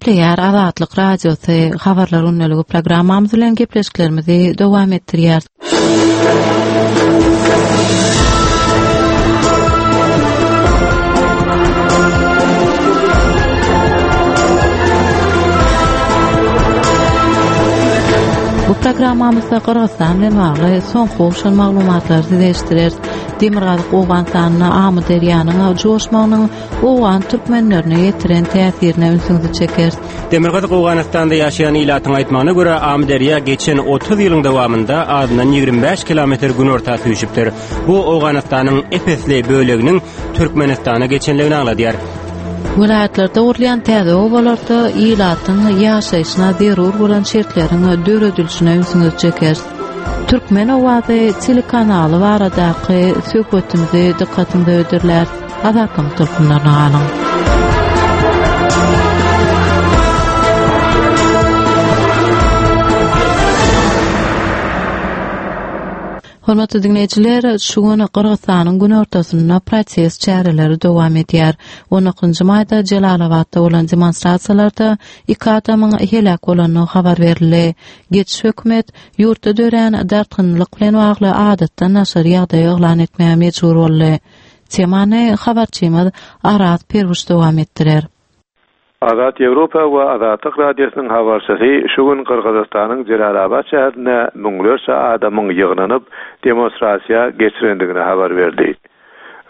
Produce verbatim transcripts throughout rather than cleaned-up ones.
Gepleýär Azatlyk Radiosy Habarlar gündeligi programmamyz bilen gepleşiklerimizi dowam etdirýär. Bu programmamyzda Gyrgyzystan bilen bagly soňky gowşan maglumatlary size eşitdireris. Demirgazyk Owganystanda Amyderýanyň joşmagynyň Owgan türkmenlerine ýetiren täsirine ünsüňizi çekeris. Demirgazyk Owganystanda ýaşaýan ilatyň aýtmagyna görä, Amyderýa geçen otuz ýylyň dowamynda azyndan ýigrimi bäş kilometr günorta süýşüpdir. Bu Owganystanyň ep-esli böleginiň Türkmenistana geçenligini aňladýar. Welaýatlarda gurulýan täze obalarda ilatyň ýaşaýşyna zerur bolan şertleriň döredilişine ünsüňizi çekeris. Türkmen owazy telekanaly baradaky söhbetimizi dykgatyňyza hödürläris. Azatlygyň tolkunlaryna galyň. Hormatly diňleýjiler, şu gün Gyrgyzystanyň günortasynda protest çäreleri dowam edýär. On dokuzynjy maýda Jelalabatda bolan demonstrasiýalarda iki adamyň heläk bolandygy habar berildi. Geçiş hökümet ýurtda dörän dartgynlyk bilen bagly adatdan daşary ýagdaýy yglan etmäge mejbur boldy. Temany habarçymyz Araz Perwiş dowam etdirer. Azat Ýewropa we Azatlyk Radiosynyň habarçysy şu gün Gyrgyzystanyň Jelalabat şäherinde müňlerçe adamyň ýygnanyp demonstrasiýa geçirendigini habar berdi.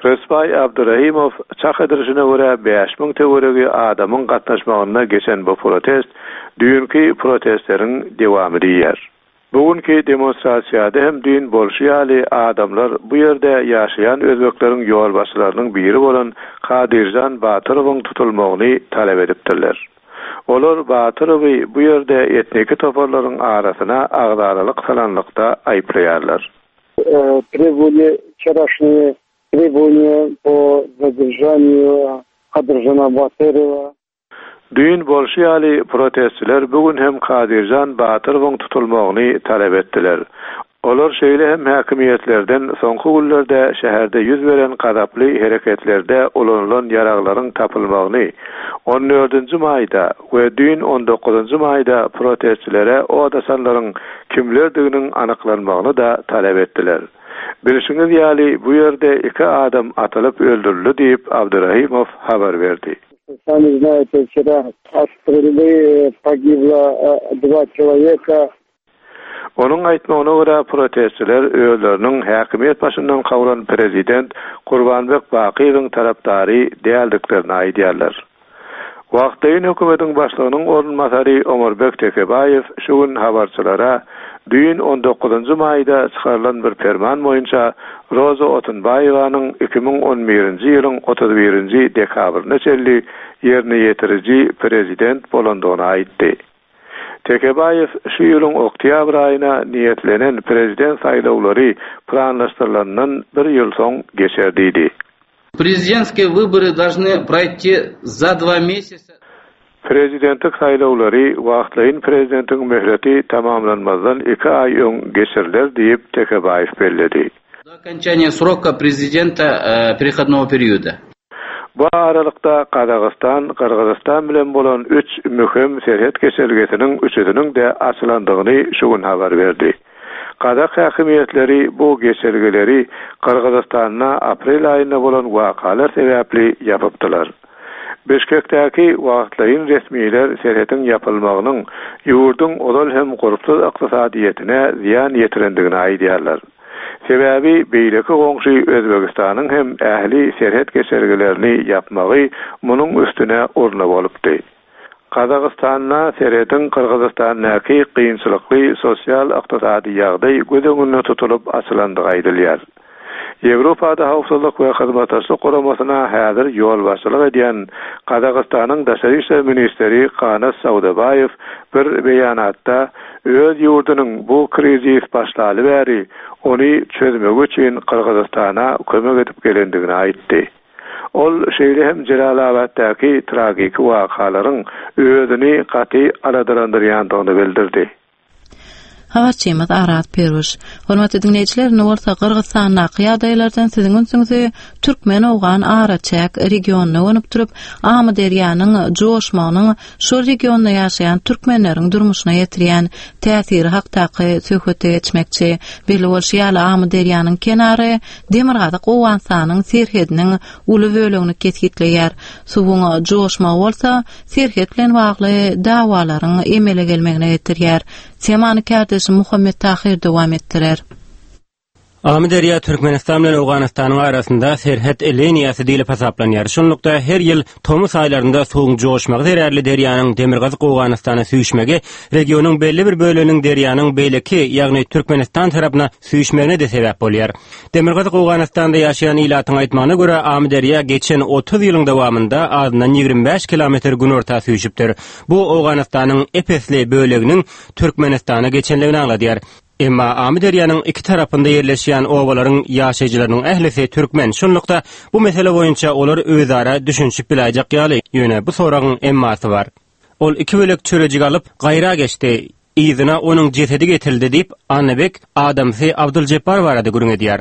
Rysbaý Abdurahimow çak edilişine görä bäş müň töweregi adamyň gatnaşmagynda geçen bu protest düýnki protestleriň dewamy diýýär. Bugünkü demonstrasiýada hem düýn bolşy ýaly adamlar bu ýerde ýaşaýan özbekleriň ýolbaşçylarynyň biri bolan Kadirjan Batyrowyň tutulmagyny talap edipdirler. Olar Batyrowy bu ýerde etniki toparlaryň arasyna agzalalyk salanlykda aýyplaýarlar. Э, требовали вчерашние требования по задержанию Кадыржана Батырова. Düýn bolşy ýaly protestçiler bugün hem Kadirjan Batyrowyň tutulmagyny talap etdiler. Olar şeýle hem häkimiýetlerden soňky günlerde şäherde ýüz beren gazaply hereketlerde ulanylan ýaraglaryň tapylmagyny on dördünji maýda we düýn on dokuzynjy maýda protestçilere odasanlaryň kimlerdiginiň anyklanmagyny da talap etdiler. Bilşiňiz ýaly bu ýerde iki adam atylyp öldürildi diýip Abdurahimow habar berdi. Сами знаете, вчера от стрельбы погибло, э, два человека. Onuň aýtmagyna görä protestçiler özleriniň häkimiýet başyndan kowlan prezident Kurbanbek Bakyýewiň tarapdary däldiklerini aýdýarlar. Wagtlaýyn hökümetiň başlygynyň orunbasary Omarbek Tekebaýew şu gün habarçylara düýn on dokuzynjy maýda çykarylan bir ferman boýunça Roza Otunbaýewanyň iki müň on birinji ýylyň otuz birinji dekabryna çenli ýerine ýetiriji prezident bolandygyny aýtdy. Tekebaýew şu ýylyň oktýabr aýyna niýetlenen prezident saýlawlary planlaşdyrylandan bir ýyl soň geçer diýdi. Президентские выборы должны пройти за два месяца. Prezidentlik saýlawlary wagtlaýyn prezidentiň möhleti tamamlanmazdan iki aý öň geçiriler diýip Tekebaýew belledi. До окончания срока президента, э, переходного периода. Bu aralykda Gazagystan, Gyrgyzystan bilen bolan üç möhüm serhet geçelgesiniň üçüsiniň de açylandygyny şu gün habar berdi. Gazak häkimiýetleri bu geçelgeleri Gyrgyzystanda aprel aýynda bolan wakalar sebäpli ýapypdylar. Bişkekdäki wagtlaýyn resmiler serhetiň ýapylmagynyň ýurduň ozal hem gurpsuz ykdysadyýetine zyýan ýetirendigini aýdýarlar. Sebäbi beýleki goňşy Özbegistanyň hem ähli serhet geçelgelerini ýapmagy munuň üstüne urna bolupdy. Gazagystanda serhetiň Gyrgyzystandaky kynçylykly sosial ykdysady ýagdaý göz öňünde tutulyp açylandygy aýdylýar. Ýewropada howpsuzlyk we hyzmatdaşlyk guramasyna häzir ýolbaşçylyk edýän Gazagystanyň daşary işler ministri Kanat Saudabaýew bir beýanatda öz ýurdunyň bu krizis başlaly bäri ony çözmek üçin Gyrgyzystana kömek edip gelendigini aýtdy. Ol şeýle hem Jelalabatdaky tragiki wakalaryň özüni gaty aladalandyrýandygyny bildirdi. Habarçymyz Araz Peruş. Hormatly diňleýjiler, indi bolsa Gyrgyzystandaky ýagdaýlardan siziň ünsüňizi Türkmen-Owgan araçäk regionyna gönükdirip, Amyderýanyň joşmagynyň şol regionda ýaşaýan türkmenleriň durmuşyna ýetirýän täsiri hakdaky söhbete geçmekçi. Belli bolşy ýaly, Amyderýanyň kenary Demirgazyk Owganystanyň serhediniň uly bölegini kesgitleýär. Suwuň joşmagy bolsa serhet bilen bagly dawalaryň emele gelmegine getirýär. Temany kärdeşim Muhammet Tahyr dowam etdirer. Amyderýa Türkmenistan bilen Owganystanyň arasynda serhet liniýasy diýlip hasaplanýar. Şunlukda her ýyl tomus aýlarynda suwuň joşmagy zerarly derýanyň Demirgazyk Owganystana süýşmegi regionyň belli bir böleginiň derýanyň beýleki, ýagny Türkmenistan tarapyna süýşmegine-de sebäp bolýar. Demirgazyk Owganystanda ýaşaýan ilatyň aýtmagyna görä, Amyderýa geçen otuz ýylyň dowamynda azyndan ýigrimi bäş kilometr günorta süýşüpdir. Bu Owganystanyň ep-esli böleginiň Türkmenistana geçenligini aňladýar. Emma Amyderýanyň iki tarapynda ýerleşýän obalaryň ýaşaýjylarynyň ählisi türkmen. Şunlukda bu mesele boýunça olar özara düşünişip biläýjek ýaly. Ýöne bu soragyň emmasy bar. Ol iki bölek çörejik alyp, gaýra geçdi. Yzyna onuň jesedi getirildi diýip, Annabek adamsy Abduljepbar barada gürrüň edýär.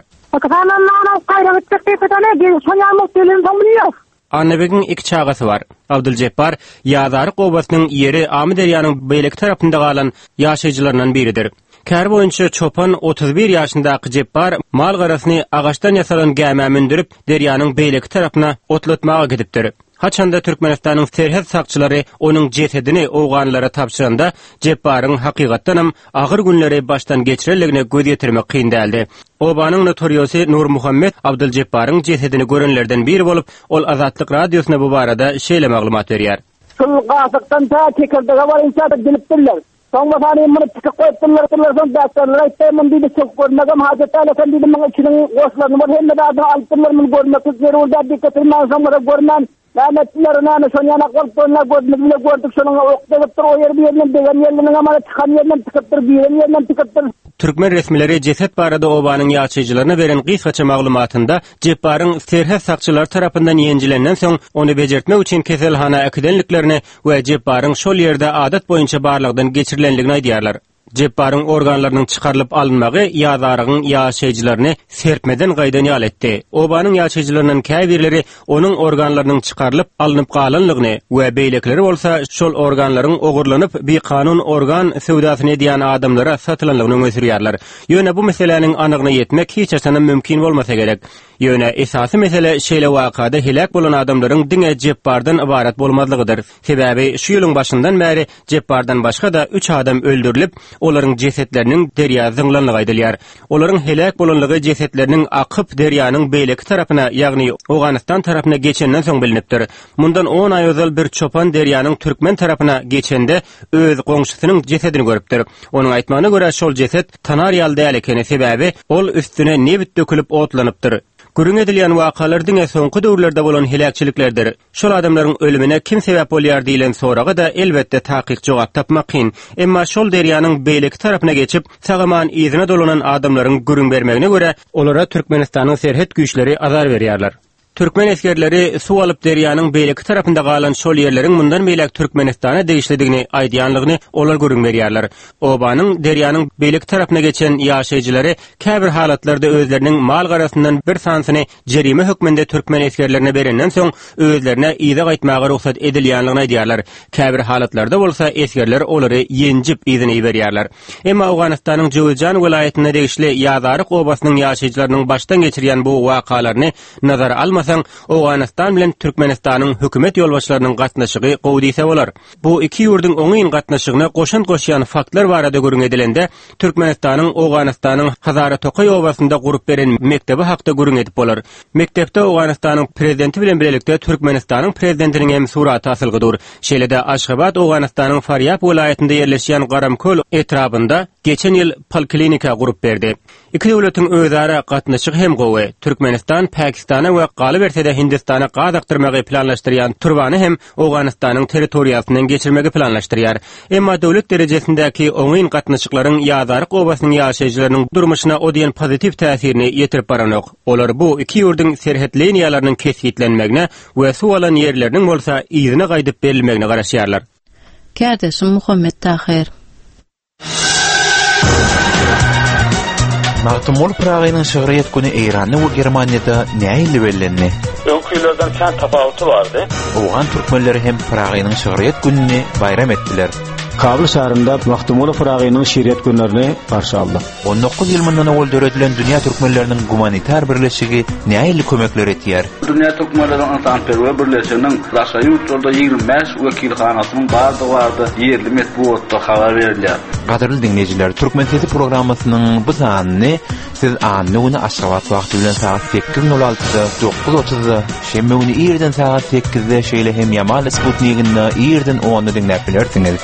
Annabegiň iki çagasy bar. Abduljepbar Ýazaryk obasynyň ýeri Amyderýanyň beýleki tarapynda galan ýaşaýjylaryndan biridir. Käri boýunça çopan otuz bir ýaşyndaky Jepbar mal garasyny agaçdan ýasalan gämä mündürip, derýanyň beýleki tarapyna otlatmaga gidipdir. Haçanda Türkmenistanyň serhet sakçylary onuň jesedini owganlara tabşyranda, Jepbaryň hakykatdanam agyr günleri başdan geçirenligine göz ýetirmek kyn däldi. Obanyň notoriosy Nurmuhammet Abduljepbaryň jesedini görenlerden biri bolup, ol Azatlyk Radiosyna bu barada şeýle maglumat berýär. Şul gasykdan ta tekirdege barynça dilipdirler. Soň basany muny tikip goýupdyrlar, soň däplerler aýtdy, muny diýdi, çöküp görmegem hajat däl eken diýdi, muň içiniň goşlaryny bol hemme zadyny alypdyrlar, muny görmeklik zerur däl diýip getirmän, soň bolsa görmän, näme etdiler, näme şony ýanak bolup görünler, gözümiz bile gördük, şonuň ok degipdir, o ýeri bir ýerinden degen ýerinden hem çykan ýerinden tikipdir, giren ýerinden tikipdir. Türkmen resmileri jeset barada obanyň ýaşaýjylaryna beren gysgaça maglumatynda Jepbaryň serhet sakçylary tarapyndan ýenjilenden soň ony bejertmek üçin keselhana äkidenliklerini we Jepbaryň şol ýerde adat boýunça barlagdan geçirilenligini aýdýarlar. Jepbaryň organlarynyň çykarylyp alynmagy Ýazarygyň ýaşaýjylaryny serpmeden gaýdan ýaly etdi. Obanyň ýaşaýjylaryndan käbirleri onuň organlarynyň çykarylyp alnyp galanlygyny we beýlekileri bolsa şol organlaryň ogurlanyp bikanun organ söwdasyny edýän adamlara satylanlygyny öňe sürýärler. Ýöne bu meseläniň anygyna ýetmek hiç haçanam mümkin bolmasa gerek. Ýöne esasy mesele şeýle wakada heläk bolan adamlaryň diňe Jepbardan ybarat bolmazlygydyr. Sebäbi şu ýylyň başyndan bäri Jepbardan başga-da üç adam öldürilip, olaryň jesetleriniň derýa zyňlanlygy aýdylýar. Olaryň heläk bolanlygy jesetleriniň akyp derýanyň beýleki tarapyna, ýagny Owganystan tarapyna geçenden soň bilinipdir. Mundan on aý ozal bir çopan derýanyň türkmen tarapyna geçende öz goňşusynyň jesedini görüpdir. Onuň aýtmagyna görä şol jeset tanar ýaly däl ekeni, sebäbi ol üstüne nebit dökülip otlanypdyr. Gürrüň edilýän wakalar diňe soňky döwürlerde bolan heläkçiliklerdir. Şol adamlaryň ölümine kim sebäp bolýar diýlen soraga-da elbetde takyk jogap tapmak kyn. Emma şol derýanyň beýleki tarapyna geçip, sag-aman yzyna dolanan adamlaryň gürrüň bermegine görä, olara Türkmenistanyň serhet güýçleri azar berýärler. Türkmen esgerleri suw alyp derýanyň beýleki tarapynda galan şol ýerleriň mundan beýläk Türkmenistana degişlidigini aýdýanlygyny olar gürrüň berýärler. Obanyň derýanyň beýleki tarapyna geçen ýaşaýjylary käbir halatlarda özleriniň mal garasyndan bir sanysyny jerime hökmünde türkmen esgerlerine berenden soň özlerine yza gaýtmaga rugsat edilýänligini aýdýarlar. Käbir halatlarda bolsa esgerler olary ýenjip yzyna iberýärler. Emma Owganystanyň Jöwüzjan welaýatyna degişli Ýazaryk obasynyň ýaşaýjylarynyň başdan geçirýän bu wakalaryny nazara almasaň, Owganystan bilen Türkmenistanyň hökümet ýolbaşçylarynyň gatnaşygy gowy diýse bolar. Bu iki ýurduň oňyn gatnaşygyna goşant goşýan faktlar barada gürrüň edilende, Türkmenistanyň Owganystanyň Hazara Tokaý obasynda gurup beren mekdebi hakda gürrüň edip bolar. Mekdepde Owganystanyň prezidenti bilen birlikde Türkmenistanyň prezidentiniň hem suraty asylgy dur. Şeýle-de Aşgabat Owganystanyň Farýab welaýatynda ýerleşýän Garamköl etrabynda geçen ýyl poliklinika gurup berdi. Iki döwletiň özara gatnaşygy hem gowy. Türkmenistan Pakistana we galyberse-de Hindistana gaz akdyrmagy planlaşdyrýan turbany hem Owganystanyň territoriýasyndan geçirmegi planlaşdyrýar. Emma döwlet derejesindäki oňyn gatnaşyklaryň Ýazaryk obasynyň ýaşaýjylarynyň durmuşyna o diýen pozitiw täsirini ýetirip baranok. Olar bu iki ýurduň serhet liniýalarynyň kesgitlenmegine we suw alan ýerleriniň bolsa yzyna gaýdyp berilmegine garaşýarlar. Kärdeşim Muhammet Tahyr. Magtymguly Pyragynyň şygryýet güni Eýranda we Germaniýada nähili bellendi? Öňkülerden kän tapawuty bardy. Owgan türkmenleri hem Pyragynyň şygryýet gününi baýram etdiler. Kabul şäherinde Magtymguly Pyragynyň şygryýet günlerini garşy aldy. On dokuz ýyl mundan owal döredilen Dünýä Türkmenleriniň Gumanitar Birleşigi nähili kömekler etýär? Dünýä Türkmenleriniň Ynsanperwer Birleşiginiň daşary ýurtlarda ýigrimi bäş wekilhanasynyň bardygy barada ýerli metbugatda habar berilýär. Gadyrly dinleýjiler, Türkmen Sesi programmasynyň bu sanyny siz anna güni Aşgabat wagty bilen sagat sekiz nol altyda, dokuz otuzda, şenbe güni irden sagat sekizde, şeýle hem Ýamal Sputnikinde irden onda diňläp bilersiňiz.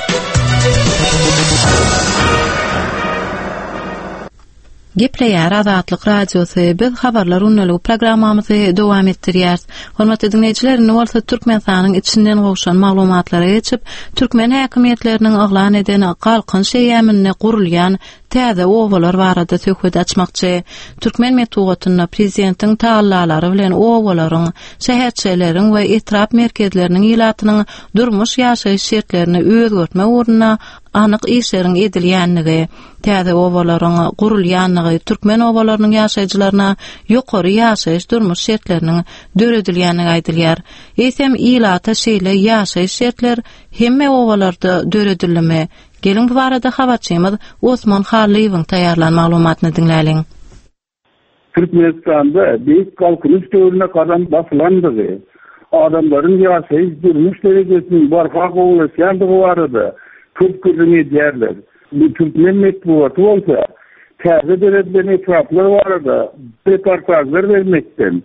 Gepleýär Azatlyk Radiosy. Biz habarlar günlügi programmamyzy dowam etdirýäris. Hormatly dinleýjiler, indi bolsa Türkmenistanyň içinden gowşan maglumatlara geçip, türkmen häkimiýetleriniň yglan eden Galkynyş eýýamynda gurulýan täze obalar barada söhbet açmakçy. Türkmen metbugatynda prezidentiň tagallalary bilen obalaryň, şäherçeleriň we etrap merkezleriniň ilatynyň durmuş ýaşaýyş şertlerini özgertmek ugrunda anyk işleriň edilýänligi, täze obalaryň gurulýanlygy, türkmen obalarynyň ýaşaýjylaryna ýokary ýaşaýyş durmuş şertleriniň döredilýänligi aýdylýar. Eýsem ilata şeýle ýaşaýyş şertler hemme obalarda döredildimi? Geliň bu barada habarçymyz Osman Hallyýewiň taýýarlan maglumatyny diňläliň. Türkmenistanda Beýik Galkynyş döwrüne gadam basylandygy, adamlaryň ýaşaýyş durmuş derejesiniň barha gowulaşýandygy barada köp gürrüň edýärler. Bu türkmen metbugaty bolsa täze döredilen etraplar barada reportajlar bermekden,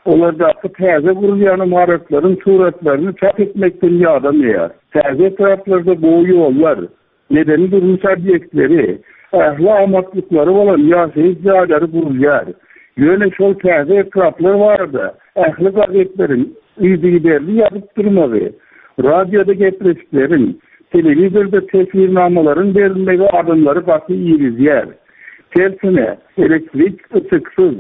olardaky täze gurulýan ymaratlaryň suratlaryny çap etmekden ýadamaýar. Täze etraplarda gowy ýollar, medeni durmuş obýektleri, ähli amatlyklary bolan ýaşaýyş jaýlary gurulýar. Ýöne şol täze etraplar barada ähli gazetleriň yzygiderli ýazyp durmagy, radioda gepleşikleriň, telewizorda teswirnamalaryň berilmegi adamlary gaty irizýär. Tersine, elektrik ışıksız,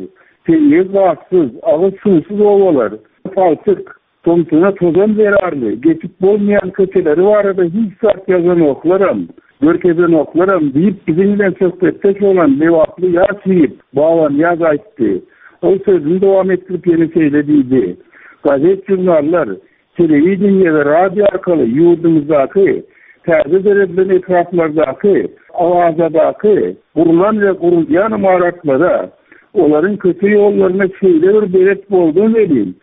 tebigy gazsyz, agyz suwsuz obalar, palçyk, tomsuna tozan zerarly, geçip bolmaýan köçeleri barada hiç zat ýazanoklaram, görkezenoklaram diýip biziň bilen söhbetdeş bolan Lebaply ýaş ýigit Baban Ýaz aýtdy. Ol sözüni dowam etdirip ýene şeýle diýdi. Gazet, jurnallar, telewideniýe we radio arkaly ýurdumyzdaky täze döredilen etraplardaky, Awazadaky gurulan we gurulýan ymaratlara, olaryň köçe ýollaryna şeýle bir belet boldum welin,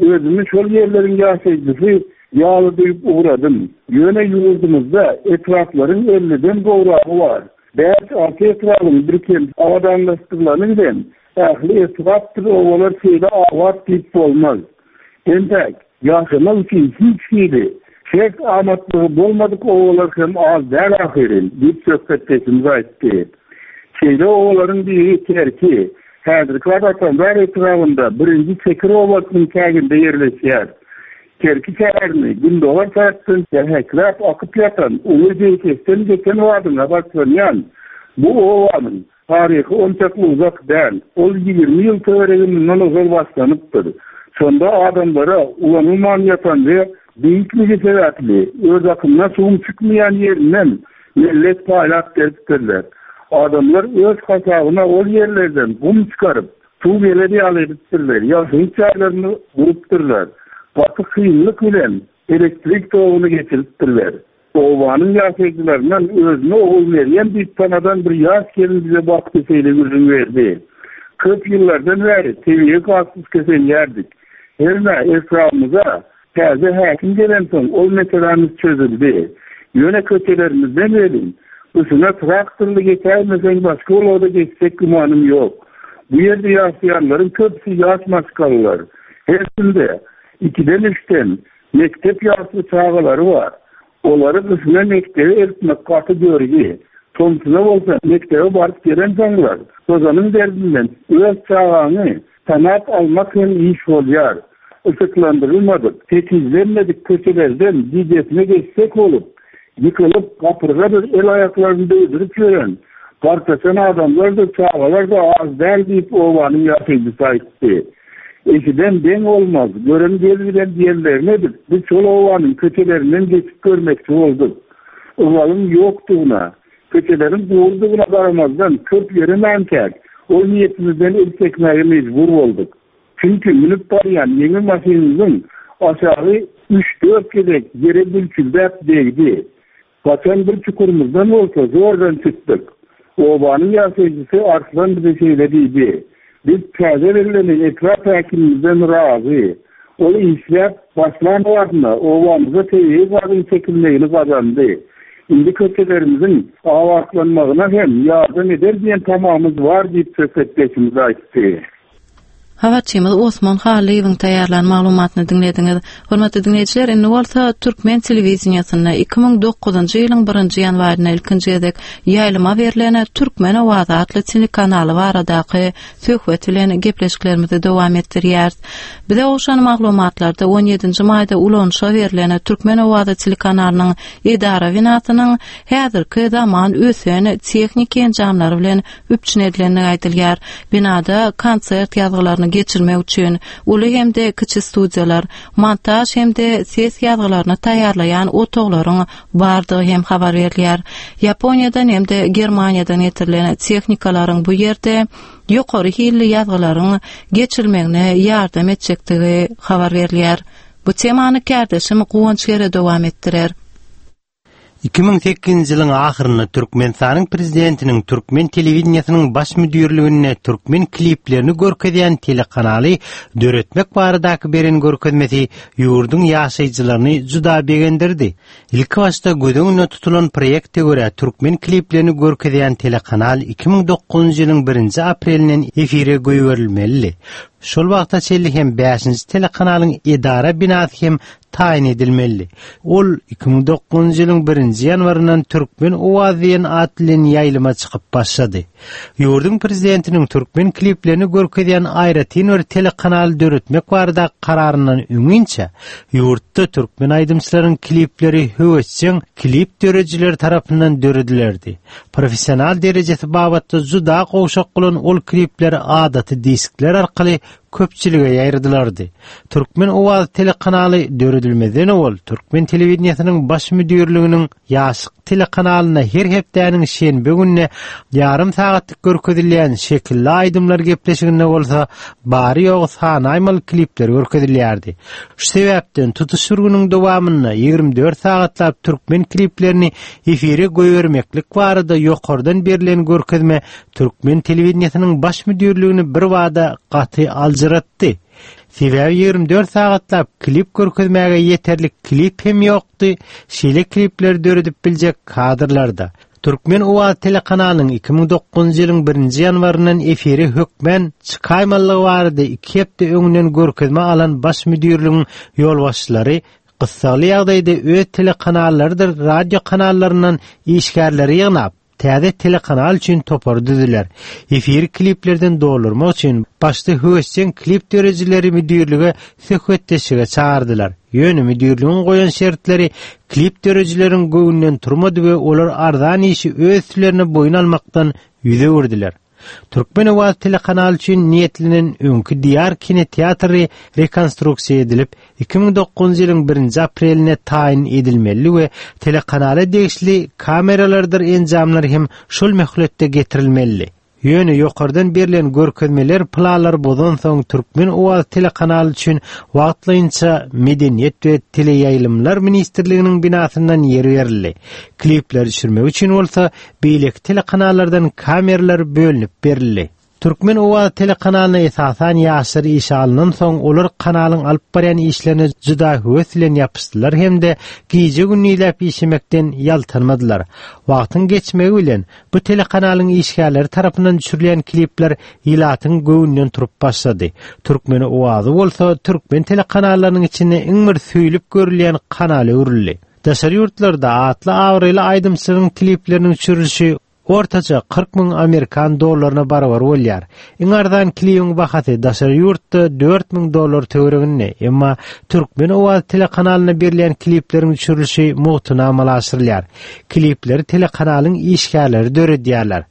özümi şol ýerleriň ýaşaýjysy ýaly duýup ugradym. Ýöne ýurdumyzda etraplaryň elliden gowragy bar. Bäş alty etrabyn bir kem abadanlaşdyrylany bilen ähli etrapdyr obalar şeýle abat diýip bolmaz. Entek ýaşamak üçin hiç hili şert amatlygy bolmadyk obalar hem az däl ahyryn diýip söhbetdeşimiz aýtdy. Şeýle obalaryň biri Kerki, häzirki Atambar etrabynda birinji Çekir obasynyň çäginde ýerleşýär. Kerki şäherini gündogar tarapdan jähekläp akyp ýatan uly Jeýkesden geçen wadyna başlanýan bu obanyň taryhy onçakly uzak däl. Ol ýigrimi ýyl töweregi mundan ozal başlanypdyr. Şonda adamlara ulanylman ýatan we beýikligi sebäpli öz akymyna suwuň çykmaýan ýerinden millet paýlap beripdirler. Adamlar öz hasabyna ol ýerlerden gum çykaryp, suw geler ýaly edipdirler, ýaşaýyş jaýlaryny gurupdyrlar. Gaty kynlyk bilen elektrik toguny geçiripdirler. Obanyň ýaşaýjylaryndan özüne ogul Meryem diýip tanadan bir ýaş gelin bize bakdy şeýle gürrüň berdi. Köp ýyllardan bäri tebigy gazsyz keselýärdik. Herne etrabymyza täze häkim gelensoň ol meselemiz çözüldi. Ýöne köçelerimizden welin, gyşyna traktorly geçäýmeseň başga ulagda geçsek gümanym ýok. Bu ýerde ýaşaýanlaryň köpüsi ýaş maşgalalar. Hersinde ikiden üçden mektep ýaşly çagalary bar. Olary gyşyna mekdebe eltmek gaty görgi. Tomsuna bolsa mekdebe baryp gelensoňlar, tozanyň derdinden öz çagaňy tanap almak hem iş bolýar. Yşyklandyrylmadyk, tekizlenmedik köçelerden gijesine geçsek bolup, ýykylyp, gapyrgadyr el aýaklaryny döwdürip ýören, gartaşan adamlar da çagalar da az däl diýip obanyň ýaşaýjysy aýtdy. Eşiden deň bolmaz, gören gel bilen diýenlerini edip, biz şol obanyň köçelerinden geçip görmekçi bolduk. Ygalyň ýokdugyna, Köçeleriň gurdugyna garamazdan köp ýöremänkäk, ol niýetimizden el çekmäge mejbur bolduk. Çünki münüp barýan ýeňil maşynymyzyň aşagy üç-dört gezek ýere bülçüldäp degdi. Gaçan bir çukurymyzdan bolsa zordan çykdyk. Obanyň ýaşaýjysy Arslan bize şeýle diýdi. Biz täze bellenen etrap häkimimizden razy. Ol işläp başlan wagtynda obamyza tebigy gazyň çekilmegini gazandy. Indi köçelerimiziň abatlanmagyna hem ýardam eder diýen tamamyz bar diýip söhbetdeşimiz aýtdy. Habarçymyz Osman Halyýewiň taýýarlan maglumatyny diňlediňiz. Hormatly diňleýjiler, indi bolsa Türkmen telewideniýesinde iki müň dokuzynjy ýylyň birinji ýanwarynda ilkinji gezek ýaýlyma berlen Türkmen owazy atly telekanaly baradaky söhbet bilen gepleşiklerimizi dowam etdirýäris. Bize gowşan maglumatlarda on ýedinji maýda ulanyşa berlen Türkmen owazy telekanalynyň edara binasynyň häzirki zaman ösen tehniki enjamlary bilen üpjün edilendigi aýdylýar. Binada konsert ýazgylaryny geçirmek üçin uly hem-de kiçi studiýalar, montaj hem-de ses ýazgylaryny taýýarlaýan otaglaryň bardygy hem habar berilýär. Ýaponiýadan hem-de Germaniýadan getirilen tehnikalaryň bu ýerde ýokary hilli ýazgylaryň geçirilmegine ýardam etjekdigi habar berilýär. Bu temany kärdeşim Guwanç Gere dowam etdirer. Iki müň sekizinji ýylyň ahyrynda Türkmenistanyň prezidentiniň Türkmen telewideniýesiniň baş müdirliginde türkmen kliplerini görkezýän telekanaly döretmek baradaky beren görkezmesi ýurduň ýaşaýjylaryny juda begendirdi. Ilki başda göz öňünde tutulan proýekte görä türkmen kliplerini görkezýän telekanal iki müň dokuzynjy ýylyň birinji aprelinden efire goýberilmeli. Şol wagta çenli hem bäşinji telekanalyň edara binasy hem taýyn edilmeli. Ol iki müň dokuzynjy ýylyň birinji ýanwaryndan Türkmen owazy diýen at bilen ýaýlyma çykyp başlady. Ýurduň prezidentiniň türkmen kliplerini görkezýän aýratyn bir telekanaly döretmek barada kararyndan öňinçe ýurtda türkmen aýdymçylaryň klipleri höwesjeň klip döredijileri tarapyndan döredilerdi. Professional derejesi babatda juda gowşak bolan ol klipler adaty diskler arkaly köpçülige ýaýradylardy. Türkmen owazy telekanaly döredilmezden owal Türkmen telewideniýesiniň baş müdirliginiň Ýaşlyk telekanalyna her hepdäniň şenbe gününe ýarym sagatlyk görkezilýän şekilli aýdymlar gepleşiginde bolsa bary ýogy sanaýmaly klipler görkezilýärdi. Şu sebäpden tutuş bir günüň dowamynda ýigrimi dört sagatlap türkmen kliplerini efire goýbermeklik barada ýokardan berlen görkezme Türkmen telewideniýesiniň baş müdirligini bir bada gaty aljyratdy. Sebäbi ýigrimi dört sagatlap klip görkezmäge ýeterlik klip hem ýokdy, şeýle klipleri döredip biljek kadrlarda. Türkmen owazy telekanalynyň iki müň dokuzynjy ýylyň birinji ýanwaryndan efire hökmän çykaýmalygy barada iki hepde öňünden görkezme alan baş müdirligiň ýolbaşçylary gyssagly ýagdaýda öz telekanallarydyr radio kanallaryndan işgärleri ýygnap, täze telekanal üçin topary düzüler. Efiri kliplerden doldurmak üçin başda höwesjeň klip döredijileri müdirlige söhbetdeşlige çağırdylar. Ýöne müdirligiň goýan şertleri klip döredijileriň göwnünden turmady we olar arzan işi öz üstlerine boýun almakdan ýüz öwürdiler. Türkmen owazy telekanaly üçin niýetlenen öňki Diýar kinoteatry rekonstruksiýa edilip, iki müň dokuzynjy ýylyň birinji apreline taýyn edilmeli we telekanala degişli kameralardyr enjamlar hem şol möhletde getirilmeli. Ýöne ýokardan berlen görkezmeler planlar bozansoň Türkmen owazy telekanaly üçin wagtlaýynça Medeniýet we Teleýaýlymlar ministrliginiň binasyndan ýer berildi. Klipleri düşürmek üçin bolsa beýleki telekanallardan kameralar bölünip berildi. Türkmen owazy telekanalyna esasan ýaşlar işe alynansoň olar kanalyň alyp barýan işlerine juda höwes bilen ýapyşdylar hem-de gije gündizläp işlemekden ýaltanmadylar. Wagtyň geçmegi bilen bu telekanalyň işgärleri tarapyndan düşürilýän klipler ilatyň göwnünden turup başlady. Türkmen owazy bolsa türkmen telekanallarynyň içinde iň bir söýlüp görülýän kanala öwrüldi. Daşary ýurtlarda atly abraýly aýdymçylaryň klipleriniň düşürilişi ortaça kyrk müň Amerikan dollaryna barabar bolýar. Iň arzan klibiň bahasy daşary ýurtda dört müň dollar töwereginde, emma Türkmen owazy telekanalyna berilýän klipleriň düşürilişi mugtuna amala aşyrylýar. Klipleri telekanalyň işgärleri döredýärler.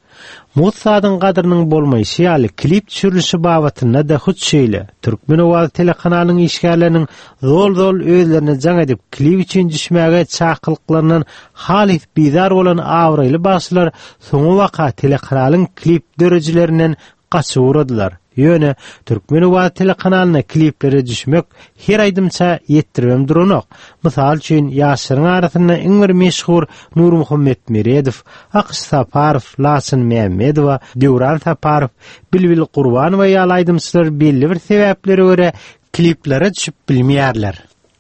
Mugt zadyň gadrynyň bolmaýşy ýaly klip düşürilişi babatynda-da hut şeýle. Türkmen owazy telekanalynyň işgärleriniň zol-zol özlerine jaň edip klip üçin düşmäge çakylyklaryndan halys bizar bolan abraýly bagşylar soňabaka telekanalyň klip döredijilerinden gaçyp ugradylar. Ýöne Türkmen owazy telekanalyna kliplere düşmek her aýdymça ýetdiribem duranok. Mysal üçin ýaşlaryň arasynda iň bir meşhur Nurmuhammet Meredow, Akyş Saparow, Laçyn Mämmedowa, Döwran Saparow, Bilbil Gurbanowa ýaly aýdymçylar belli bir sebäplere görä kliplere düşüp bilmeýärler.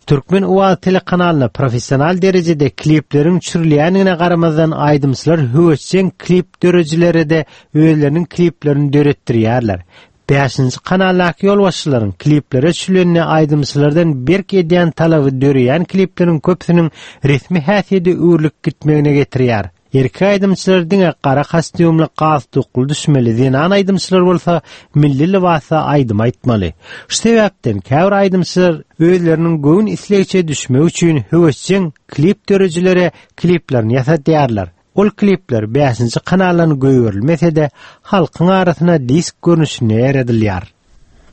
Türkmen owazy telekanalyna professional derejede klipleriň düşürilýändigine garamazdan aýdymçylar höwesjeň klip döredijilere-de özleriniň kliplerini döretdirýärler. Bäşinji kanaldaky ýolbaşçylaryň kliplere düşülenini aýdymçylardan berk edýän talaby döreýän klipleriň köpüsiniň resmi häsiýete öwrülip gitmegine getirýär. Erkek aýdymçylar diňe gara kostýumly galstukly düşmeli, zenan aýdymçylar bolsa milli lybasda aýdym aýtmaly. Şu sebäpden käbir aýdymçylar özleriniň göwün islegiçe düşmek üçin höwesjeň klip döredijilere kliplerini ýasatýarlar. Ol klipler bäşinji kanaldan goýberilmese-de halkyň arasyna disk görnüşinde ýaýradylýar.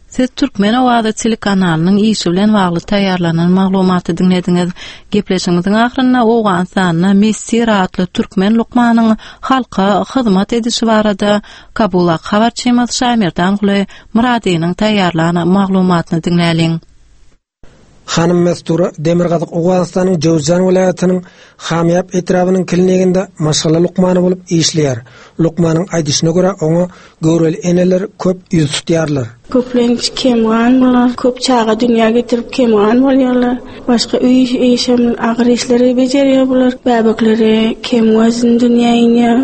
Siz Türkmen owazy telekanalynyň işi bilen bagly taýýarlanan maglumaty diňlediňiz. Gepleşigimiziň ahyrynda Owganystanda Messir atly türkmen lukmanyň halka hyzmat edişi barada Kabulak habarçymyz Şaýmerdanguly Myradynyň taýýarlan maglumatyny diňläliň. Hanym Mestura Demirgazyk Owganystanyň Jowzjan welaýatynyň Hamýap etrabynyň kliniginde maşgala lukmany bolup işleýär. Lukmanyň aýdyşyna görä oňa göwreli eneler köp ýüz tutýarlar. Köplenç kemgan bolar, köp çaga dünýä getirip kemgan bolýarlar. Başga öý işem agyr işleri bejerýär bular. Bäbekleri kem wezn dünýä inýär.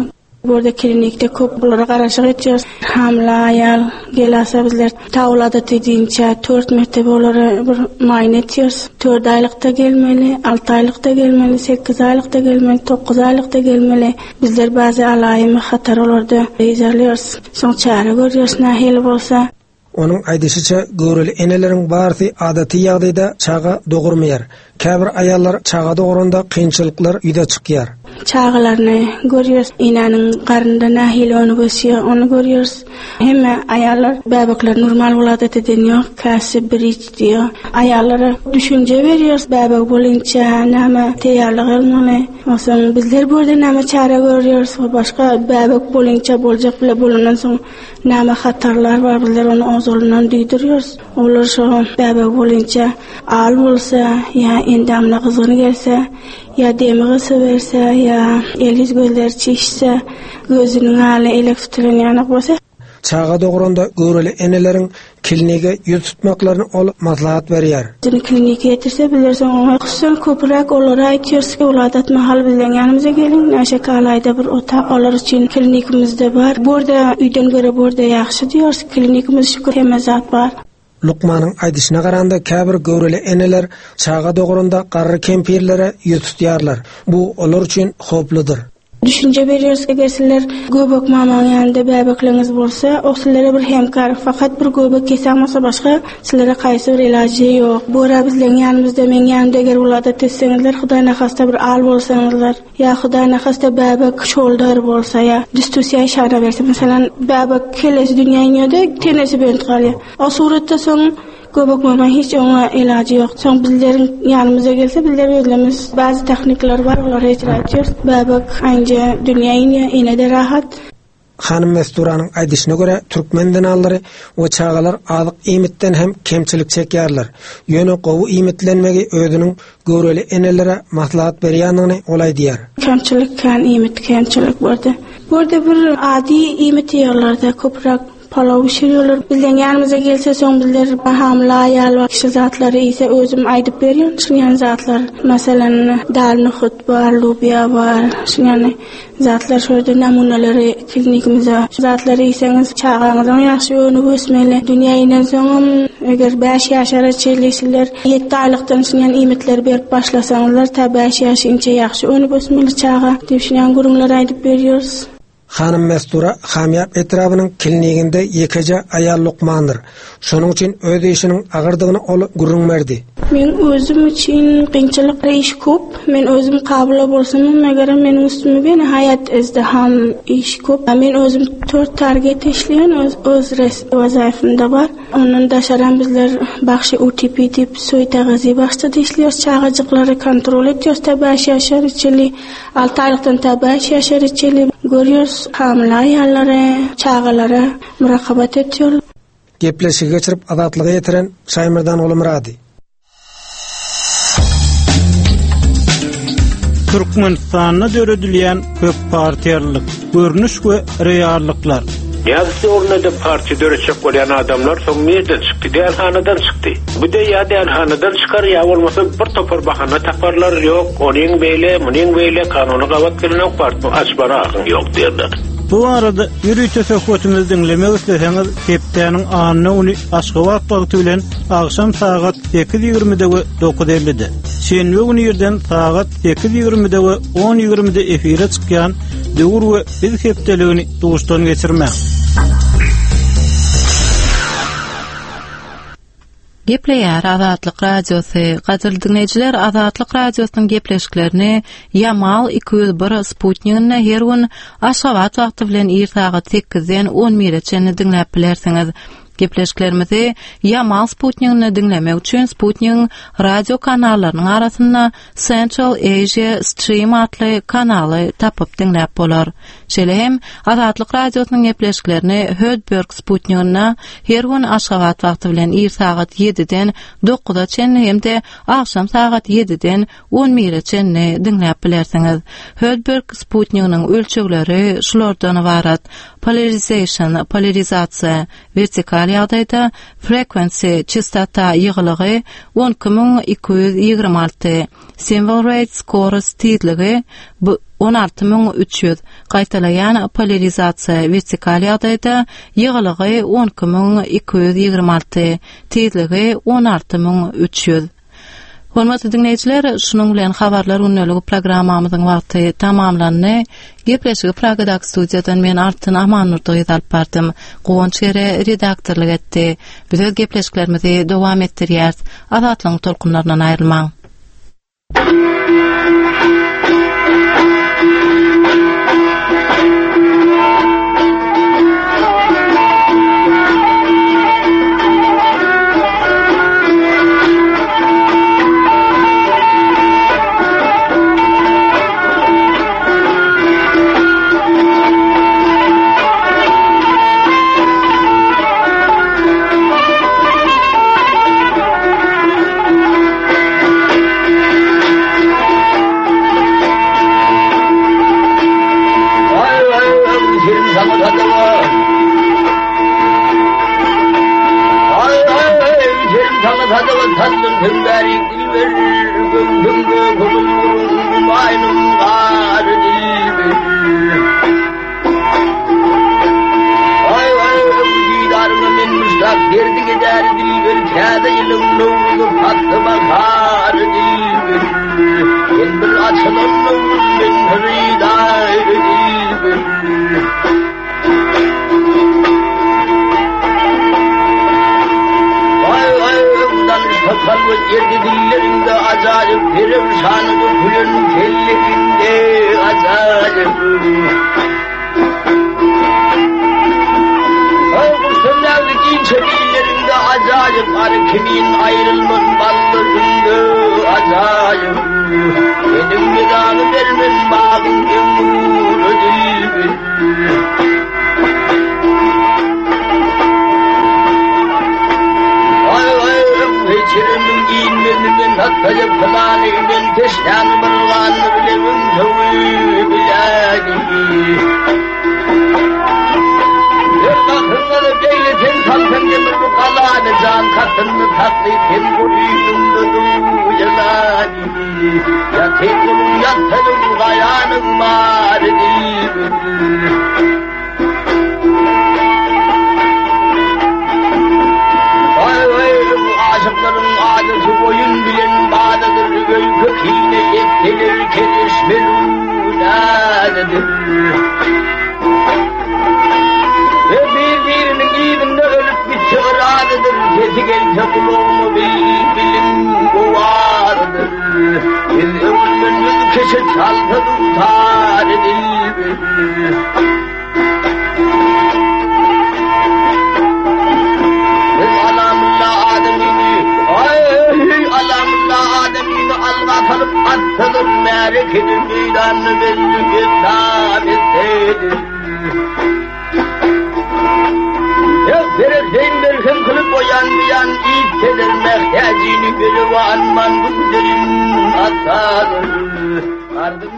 Burada klinikde köp bulara garaşyk etýär. Hamla aýal gelasa bizler tawlada diýinçä dört mertebe olara bir muaýene etýäris. Dört aýlykda gelmeli, alty aýlykda gelmeli, sekiz aýlykda gelmeli, dokuz aýlykda gelmeli. Bizler bazy alaýymy hatar olarda ýerliyoruz. Soň çäre görýäris nähili bolsa. Onuň aýdyşyça göwreli eneleriň barysy adaty ýagdaýda çaga dogurmaýar. Käbir aýallar çaga doguranda kynçylyklar ýüze çykýar. Çagalaryny görýäris. Enäniň garnynda nähili ony gösýär, ony görýäris. Hemme aýallar bäbekler normal weladat eden ýok, käsi bir iç diýýär. Aýallara düşünje berýäris, bäbek bolunça näme taýýarlyk almaly. Onsoň bizler bu ýerde näme çäre görýäris, başga bäbek bolunça boljak bile bolandan soň näme hatarlar bar, bizler ony ozalyndan duýdurýarys. Olar şo bäbek bolunça al bolsa, ýa endamyna gyzgyn gelse, ýa demi gysa berse, ýa el ýüz gözleri çişse, gözüniň aly elek tutulan ýanak bolsa. Çaga doguranda göwreli eneleriň klinige ýüz tutmaklaryny ol maslahat berýär. Dün klinike ýetirse bilersiň oňa hususan köpräk olara aýtýarys ki, weladat mahal bilen ýanymyza geliň, näşe kalaýda bir otag olar üçin klinikimizde bar. Burada öýden göre burada ýagşy diýýäris, klinikimiz şükür hemme zat bar. Lukmanyň aýdyşyna garanda käbir göwreli eneler çaga doguranda garry kempirlere ýüz tutýarlar. Bu olar üçin howpludyr. Düşünje berýäris, eger sizler göbek mamaň ýanynda bäbekleriniz bolsa, o sizlere bir hemkar, fakat bir göbek kesen bolsa başga sizlere kaýsy bir ilajy ýok. Bu ara bizleň ýanymyzda, meň ýanymda eger weladat etseňizler, Hudaý nahasta bir al bolsaňyzlar, ýa Hudaý nahasta bäbek şoldar bolsa, ýa düstüsiýa işara berse, meselem, bäbek kelesi dünýä inýär-de, tenesi bent galýar. O suratda soň göbek mama hiç oňa ilajy ýok. Soň bizleriň ýanymyza gelse, bizler özlerimiz bazı texnikler bar, olary icra etýäris. Bäbek aýnja dünýä inýär, ene-de rahat. Hanym Mesturanyň aýdyşyna görä türkmen zenanlary we çagalar azyk iýmitden hem kemçilik çekýärler. Ýöne gowy iýmitlenmegi özüniň göwreli enelere maslahat berýändigini ol aýdýar. Kemçilik kän iýmit kemçilik bardy. Burada bir adi iýmit ýerlerde köpräk palaw bişiriyorlar. Bizden ýanymyza gelse soň bizler hamla aýal we kişi zatlary ise özüm aýdyp berýän şunýan zatlar. Meselem, dal nohut bar, lubya bar, şunýan zatlar şurada namuneleri klinikimize. Şu zatlary iýseňiz çagaňyzyň ýagşy önüp ösmeli. Dünýä inen soňam eger bäş ýaşara çenli ýedi aýlykdan şunýan iýmitleri berip başlasaňyzlar ta bäş ýaş inçe ýagşy önüp ösmeli çaga diýip şunýan gürrüňler aýdyp berýäris. Hanym Mestura Hamyap etrabynyň kliniginde ýekeje aýal lukmandyr. Şonuň üçin öz işiniň agyrdygyny ol gürrüň berdi. Men özüm üçin kynçylyk iş köp. Men özüm kabul bolsam, meger meniň üstüme beni hayat izdiham iş köp. Men özüm dört target işleýän, öz, öz res wazifemde bar. Ondan daşaran bizler bagşy U T P diýip soýtagazy bagşda işleýär, çagajyklary kontrol etýär, ta bäş ýaşar içeli, alty aýlykdan ta bäş ýaşar içeli görýär, hamyla aýallary, çagalara murakabat etýär. Gepleşigi geçirip azatlyga ýetiren Şaýmyrdan Gulmyrady. Türkmenistanda döredilýän köp partiýalylyk, görnüş we reallyklar. Ýa ornada partiýa döretjek bolýan adamlar soň nirden çykdy? Dälhanadan çykdy. Bu de ýa dälhanadan çykar ýa bolmasa bir topar bahana taparlar, ýok, onuň beýle, munuň beýle kanuny gabat gelenok, partiýa açmana hakyň ýok diýerler. Bu arada ýörite söhbetimizi diňlemek isleseňiz, hepdäniň anna güni Aşgabat wagty bilen agşam sagat sekiz ýigrimide we dokuz ellide, şenbe güni irden sagat sekiz ýigrimide we on ýigrimide efire çykýan Döwür we Biz hepdeligini duşdan geçirmäň. Gepleýär Azatlyk Radiosy. Gadyrly dinleýjiler, Azatlyk Radiosynyň gepleşiklerini Yamal iki ýüz bir Sputnikinde her gün Aşgabat wagty bilen ir sagat sekizden on bire çenli diňläp bilersiňiz. Gepleşiklerimizi Yamal Sputnikinde diňlemek üçin Sputnigiň radio kanallarynyň arasynda Central Asia Stream atly kanaly tapyp diňläp bolar. Şeýle hem Azatlyk Radiosynyň gepleşiklerini Hödberg Sputnikinde her gün Aşgabat wagty bilen ir sagat ýediden dokuza çenli hem-de agşam sagat ýediden on bire çenli diňläp bilersiňiz. Hödberg Sputnikiniň ölçegleri şulardan ybarat: polarization, polarizasiýa, vertikal ýagdaýda frequency, çastota ýygylygy on iki müň iki ýüz ýigrimi alty, symbol rate, chorus tizligi on alty müň üç ýüz, gaýtalaýan polarizasiýa vertikal ýagdaýda ýygylygy on iki müň iki ýüz ýigrimi alty, tizligi on alty müň üç ýüz. Hormatly dinleýjiler, şunuň bilen habarlar gündeligi programmamyzyň wagty tamamlandy. Gepleşigi Pragadaky studiýadan men Altyn Amannurdygyz alyp bardym. Guwanç Gere redaktorlyk etdi. Biz öz gepleşiklerimizi dowam etdirýäris. Azatlygyň tolkunlaryndan aýrylmaň. Kine ettilir keliş melun adedir. Işi çalsa dutar edildi. Alamla ademini, ay alamla ademini alga kalıp atsadır merekenin meydanını belli kitap etsedir. Verirsen berhem kılıp oyan biyan itedir mehtacini gülü anman bu güzelim atadır. Ardım